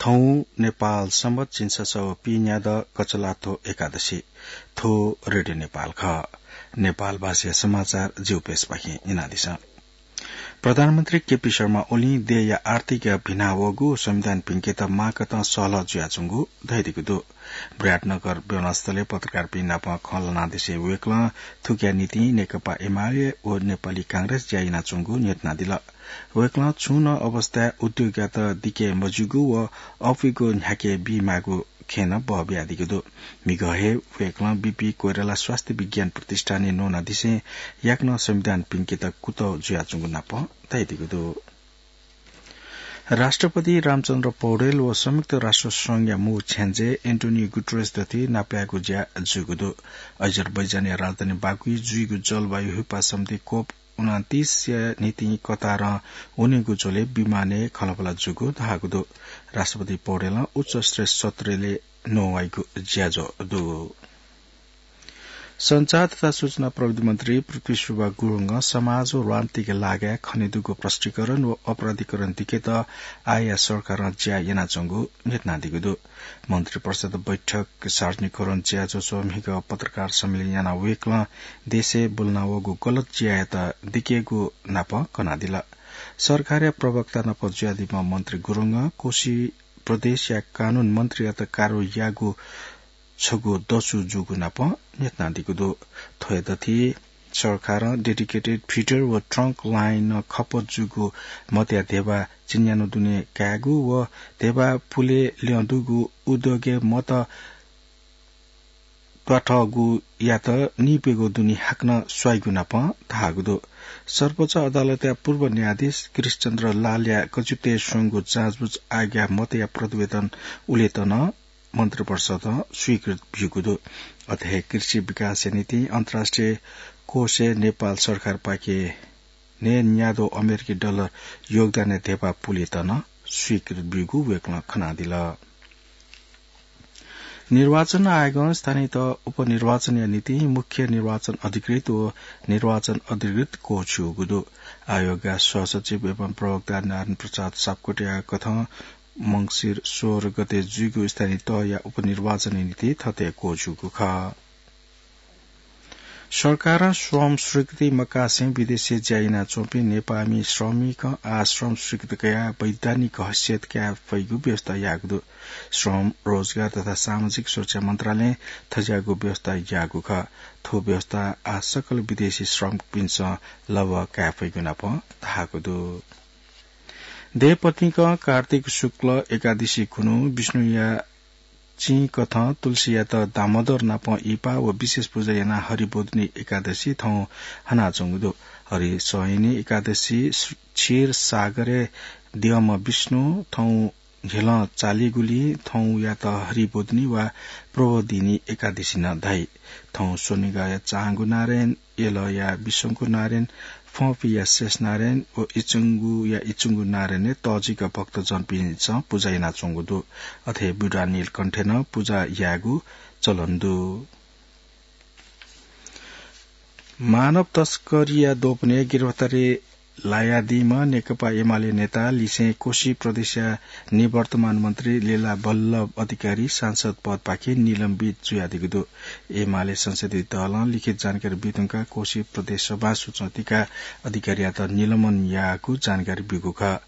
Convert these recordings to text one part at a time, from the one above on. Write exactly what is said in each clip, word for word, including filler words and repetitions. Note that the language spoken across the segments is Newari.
हौ नेपाल संवत झिंछसः व पीन्यादँ कचलाथ्व एकादशी। थ्व रेडियो नेपाल खः। नेपाल भाषाया समाचार जिगु प्रेसपाखें यानादिसँ। प्रधानमन्त्री केपी शर्मा ओलीं देय्‌या आर्थिक भिनावःगु संविधान भिंकेत माकथं सहलह जुयाच्वंगु धयादीगु दु। विराटनगर विमानस्थलय् पत्रकारपिं नाप खँ ल्हानादिसें वय्‌कलं थुकिया निंतिं नेकपा एमाले व नेपाली कांग्रेस ज्या यानाच्वंगु न्ह्यथनादिल। वय्‌कलं छुं नं अवस्थाय् उद्योगयात दिके मज्यूगु व अःपुइगु न्ह्याके बीमाःगु खँय् नं बः बियादीगु दु। म्हिगः हे वय्‌कलं बीपी कोइराला स्वास्थ्य विज्ञान प्रतिष्ठानय् न्वनादिसें याकनं संविधान भिंकेत कुतः जुयाच्वंगु नाप धयादीगु दु। राष्ट्रपति रामचन्द्र पौडेल व संयुक्त राष्ट्र संघया मू छ्याञ्जे एन्टोनियो गुटरेस दथुइ नापलायेगु ज्या जूगु दु। अजरबैजानया राजधानी बाकुइ जुइगु जलवायु ह्युपा समिति कोप उनन्तीसया निंतिं कतारं वनेगु झ्वलय् विमानय् खँल्हाबल्हा जूगु धाःगु दु। राष्ट्रपति पौडेलं उच्च स्तरीय सत्रय् नवाइगु ज्याझ्वः दु। सञ्चार तथा सूचना प्रविधि मन्त्री पृथ्वी सुब्बा गुरुङं समाज व राजनीतिक लागाय् खनेदुगु भ्रष्टीकरण व अपराधीकरण दिकेत आःया सरकारं ज्या यानाच्वंगु न्ह्यथनादीगु दु। मन्त्री परिषद बैठक सार्वजनिकरण ज्याझ्वः म्हिगः पत्रकार सम्मेलन यानाः वय्‌कलं देशय् ब्वलनावःगु गलत ज्यायात दिकेगु नाप कनादिल। सरकारया प्रवक्ता नाप जुयादीम्ह मन्त्री गुरुङं कोशी प्रदेशया कानून मन्त्रीयात कारवाही याःगु छगू दसु जूगु नाप न्ह्यथनादीगु दु। थ्वया दथुइ सरकारं dedicated feeder व trunk line खपत जूगु मतया धेबा चिन्यान्हु दुने कायेगु व धेबा पुले ल्यं दुगु उद्योगय् मत त्वाथःगुयात नीप्यघौ दुने हाकनं स्वाइगु नाप धाःगु दु। सर्वोच्च अदालतया पूर्व न्यायाधीश कृष्णचन्द्र लालया कचित्वय् स्वंगु जाँचबुझ आयोगया मतया प्रतिवेदन उलेत नं मन्त्रिपरिषदं स्वीकृत ब्यूगु दु। अथे हे कृषि विकासया निंतिं अन्तर्राष्ट्रिय कोषय् नेपाल सरकारपाखें नयेन्यादँ अमेरिकी डलर योगदानया धेबा पुलेत नं स्वीकृत ब्यूगु वय्‌कलं खनादिल। निर्वाचन आयोगं स्थानीय तह उपनिर्वाचनया निंतिं मुख्य निर्वाचन अधिकृत व निर्वाचन अधिकृत क्वःछिउगु दु। आयोगया सहसचिव एवं प्रवक्ता नारायण प्रसाद सापकोटाया कथं मंसिर सोह्र गते जुइगु स्थानीय तहया उपनिर्वाचनया निंतिं थथे क्वःछिउगु खः। सरकारं श्रम स्वीकृति मकासें विदेशय् ज्या यानाच्वंपिं नेपाःमि श्रमिकं आः श्रम स्वीकृति कयाः वैधानिक हैसियत काये फइगु व्यवस्था याःगु दु। श्रम, रोजगार तथा सामाजिक सुरक्षा मन्त्रालयं थज्याःगु व्यवस्था याःगु खः। थ्व व्यवस्था आः सकल विदेशी श्रमिकपिन्सं लभ्व काये फइगु नाप धाःगु दु। देय्‌पतिंकं कार्तिक शुक्ल एकादशी खुन्हु विष्णुया चिं कथं तुलसीयात दामोदर नाप इहिपा व विशेष पुजा यानाः हरिबोधिनी एकादशी थौं हनाच्वंगु दु। हरिसंयनी एकादशी क्षीर सागरय् द्यःम्ह विष्णु थौं न्ह्यलं चालीगुलिं थौंयात हरिबोधिनी वा प्रबोधिनी एकादशी नं धाइ। थौं स्वनिगःया चांगु नारायण, यलया विशंकु नारायण, फंपिया शेष नारायण व इचंगुया इचंगु नारायणय् तःजिक भक्तजनपिन्सं पुजा यानाच्वंगु दु। अथे ब्यूडा नीलकण्ठय् नं पुजा यायेगु चलन दु। मानव तस्करीया दोपनय् गिरफ्तारी लायादीम्ह नेकपा एमाले नेता लिसें कोशी प्रदेशया निवर्तमान मन्त्री लेला बल्लभ अधिकारी सांसद पदपाखें निलम्बित जुयादीगु दु। एमाले संसदीय दलं लिखित जानकारी बीधुंकाः कोशी प्रदेश सभां सूचना तयाः अधिकारीयात निलम्बन याःगु जानकारी ब्यूगु खः।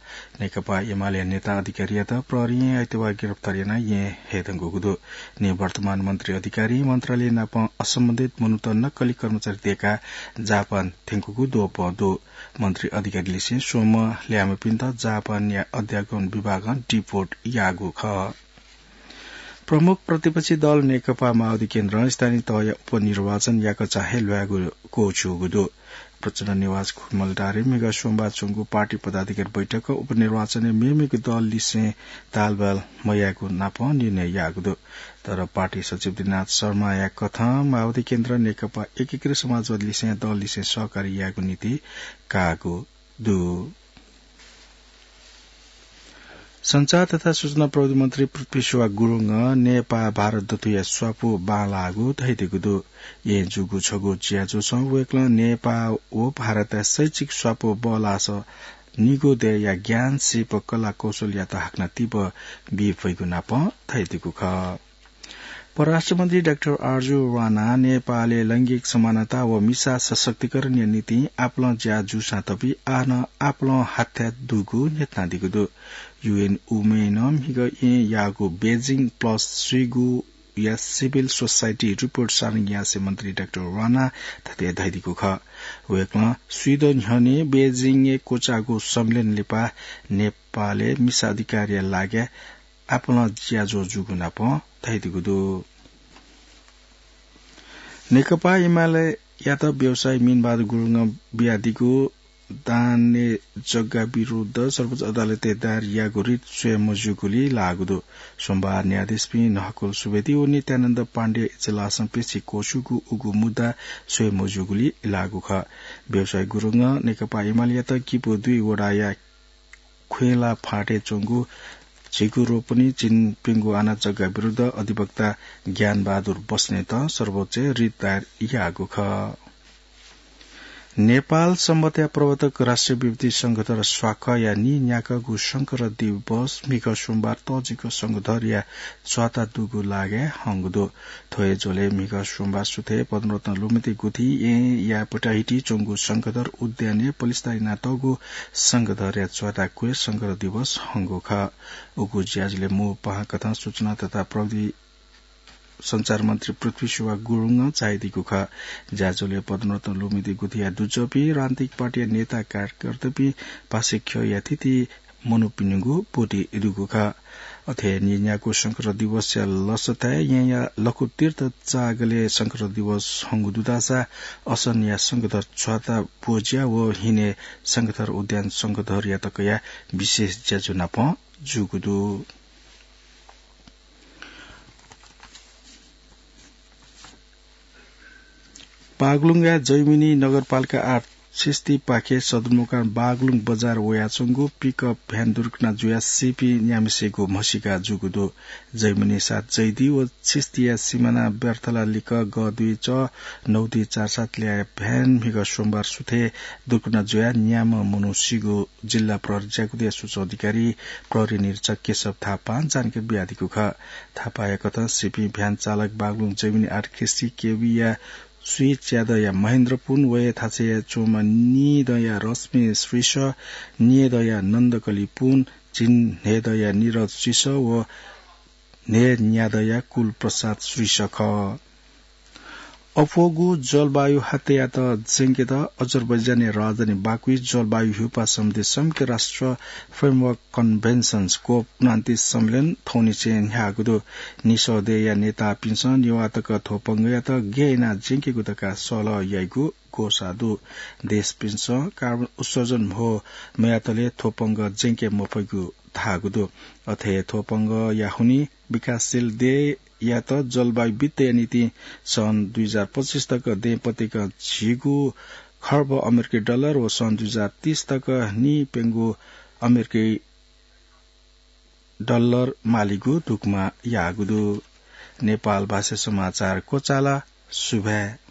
नेकपा एमाले नेता अधिकारीयात प्रहरीं आइतबाः गिरफ्तार यानाः येँ हयेधुंकूगु दु। निवर्तमान मन्त्री अधिकारी मन्त्रालय नाप असम्बन्धित मनूत नक्कली कर्मचारी दय्काः जापान थ्यंकूगु द्वपं दु। मन्त्री अधिकारी लिसें स्वम्ह ल्याय्म्हपिन्त जापानया अध्यागमन विभागं डिपोर्ट याःगु खः। प्रमुख प्रतिपक्षी दल नेकपा माओवादी केन्द्रं स्थानीय तहया उपनिर्वाचन याकःचा हे ल्वायेगु क्वःछिउगु दु। प्रचण्ड निवास खुमलटारय् म्हिगः सोमबार च्वंगु पार्टी पदाधिकारी बैठकं उपनिर्वाचनय् मेमेगु दल लिसें तालबाल मयायेगु नाप निर्णय याःगु दु। तर पार्टी सचिव दिनाथ शर्माया कथं माओवादी केन्द्रं नेकपा एकीकृत समाजवादी लिसें दल लिसें सहकारी यायेगु नीति काःगु दु। सञ्चार तथा सूचना प्रविधि मन्त्री पृथ्वी सुब्बा गुरुङं नेपाः भारत दथुया स्वापू बांलाःगु धयादीगु दु। येँ जूगु छगू ज्याझ्वलय् वय्कलं नेपाः व भारतया शैक्षिक स्वापू बल्लाःसा निगू दय्‌या ज्ञान, सिप, कला कौशलयात हाकनं तिबः बी फइगु नापं धयादीगु खः। परराष्ट्र मन्त्री डाक्टर आरजु राणा नेपालय् लैंगिक समानता व मिसा सशक्तिकरणया निंतिं आपालं ज्या जूसां तपि आः नं आपालं हाथ्याः दुगु न्ह्यथनादीगु दु। UN Women नं म्हिगः येँ याःगु बेजिङ प्लस स्वीगू या सिभिल सोसाइटी रिपोर्ट सार्वजनिक यासें मन्त्री डाक्टर राणा थथे धयादीगु खः। वय्‌कलं स्वीदँ न्ह्यःने बेजिङय् क्वचाःगु सम्मेलन लिपा नेपालय् मिसा अधिकारया लागि आपालं ज्याझ्वः जूगु नापं धयादीगु दु। नेकपा एमालेयात व्यवसायी मीनबहादुर गुरुङं बियादीगु दानय् जग्गा विरुद्ध सर्वोच्च अदालतय् दायर याःगु रिट स्वये मज्यूगुली लाःगु दु। सोमबार न्यायाधीशपिं नहकुल सुवेदी व नित्यानन्द पाण्डेय इजलासं पेशी क्वछुगु उगु मुद्दा स्वये मज्यूगुली लाःगु खः। व्यवसायी गुरुङं नेकपा एमालेयात किपु दुई वडाया ख्वेला फाँटय् च्वंगु झिगु रोपनी चिनपिंगु आना जग्गा विरुद्ध अधिवक्ता ज्ञानबहादुर बस्नेतं सर्वोच्चय् रिट दायर याःगु खः। नेपाल संवत्‌या प्रवर्तक राष्ट्रिय विभूति शंखधर स्वाखया नीन्याक्वःगु शंखधर दिवस म्हिगः सोमबार तःजिक शंखधरया च्वाता दुगु लागाय् हंगु दु। थ्व हे झ्वलय् म्हिगः सोमबार सुथय् पद्मरत्न लुमति गुथि येँया पटाहिटी च्वंगु शंखधर उद्यानय् पलिस्था यानातःगु शंखधरया च्वाता क्वय् शंखधर दिवस हंगु खः। उगु ज्याझ्वलय् मू पाहां कथं सूचना तथा प्रविधि सञ्चार मन्त्री पृथ्वी सुवाह गुरुङं झायादीगु खः। ज्याझ्वलय् पद्मरत्न लुमति गुथिया दुजःपिं राजनीतिक पार्टीया नेता कार्यकर्तापिं पासे ख्यःया थीथी मनूपिनिगु ब्वति दुगु खः। अथे नीन्याक्वः शंखधर दिवसया लसताय् येँया लखुतीर्थ चाःगलय् शंखधर दिवस हंगु दुधासा असनया शंखधर च्वाता ब्वज्या व हिने शंखधर उद्यान शंखधरया तकया विशेष ज्याझ्वः नापं जूगु दु। बागलुङया जैमिनी नगरपालिका आठ छिस्तीपाखे सदरमुकाम बागलुङ बजार वयाच्वंगु पिकअप भ्यान दुर्घटना जुयाः सीपिं न्याम्हेसिगु म्हसीका जूगु दु। जैमिनी सात जैदी व छिस्तीया सिमाना ब्यर्थला लिक्क ग दुई च नौ दुई चार सात ल्याःया भ्यान म्हिगः सोमबार सुथय् दुर्घटना जुयाः न्याम्ह मनू सीगु जिल्ला प्रहरी ज्याकुथया सूचना अधिकारी प्रहरी निरीक्षक केशव थापां जानकारी बियादीगु खः। थापाया कथं सीपिं भ्यान चालक बागलुङ जैमिनी आठ खिस्ती केबीया स्वीच्यादँया महेन्द्र पुन, वये थासय् च्वंम्ह नीदँया रश्मि श्रीसः, न्येदँया नन्दकली पुन, झिंन्हय्‌दँया निरज श्रीसः व न्हय्‌न्यादँया कुलप्रसाद श्रीसः खः। अप्वःगु जलवायु हात्तयात ज्यंकेत अजरबैजानया राजधानी बाकुइ जलवायु ह्यूपाः सम्बन्धी संयुक्त राष्ट्र framework conventions, कोप उनान्तिस सम्मेलन थौंनिसें न्ह्याःगु दु। निसः देय्‌या नेतापिन्सं नेवाः तक थ्व पंगःयात गय् यानाः ज्यंकेगु धकाः सल्लाह याइगु ग्वसाः दु। देशपिन्सं कार्बन उत्सर्जन म्हो मयातले थ्व पंगः ज्यंके मफइगु धाःगु दु। अथे थ्व पंगःया हुनिं विकासशील देय्‌यात जलवायु वित्तया निंतिं सन् दुई हजार पच्चिस तक दँय्‌पतिकं झिगू खर्ब अमेरिकी डलर व सन् दुई हजार तीस तक नीप्यंगू अमेरिकी डलर मालीगु धुकुमा याःगु दु। नेपाल भाषा समाचार क्वचाल। सुभाय्।